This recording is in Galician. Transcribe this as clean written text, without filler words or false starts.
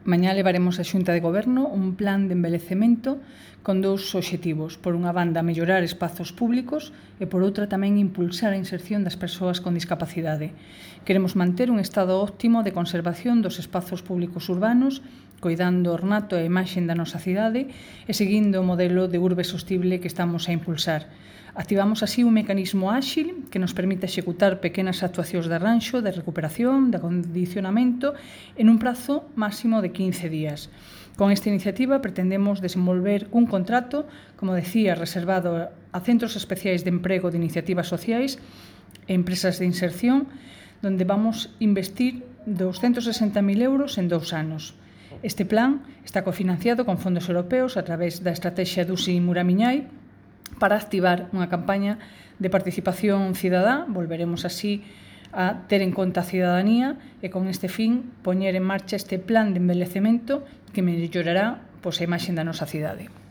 Mañá levaremos á Xunta de Goberno un plan de envellecemento con dous obxectivos. Por unha banda, mellorar espazos públicos e, por outra, tamén impulsar a inserción das persoas con discapacidade. Queremos manter un estado óptimo de conservación dos espazos públicos urbanos, coidando o ornato e a imaxe da nosa cidade e seguindo o modelo de urbe sostible que estamos a impulsar. Activamos así un mecanismo áxil que nos permite executar pequenas actuacións de arranxo, de recuperación, de acondicionamento en un prazo máximo de 15 días. Con esta iniciativa pretendemos desenvolver un contrato, como decía, reservado a centros especiais de emprego de iniciativas sociais e empresas de inserción, donde vamos investir 260.000 euros en 2 anos. Este plan está cofinanciado con fondos europeos a través da estrategia Dusi Muramiñai para activar unha campaña de participación cidadá. Volveremos así a ter en conta a cidadanía e con este fin poñer en marcha este plan de envellecemento que mellorará a imaxe da nosa cidade.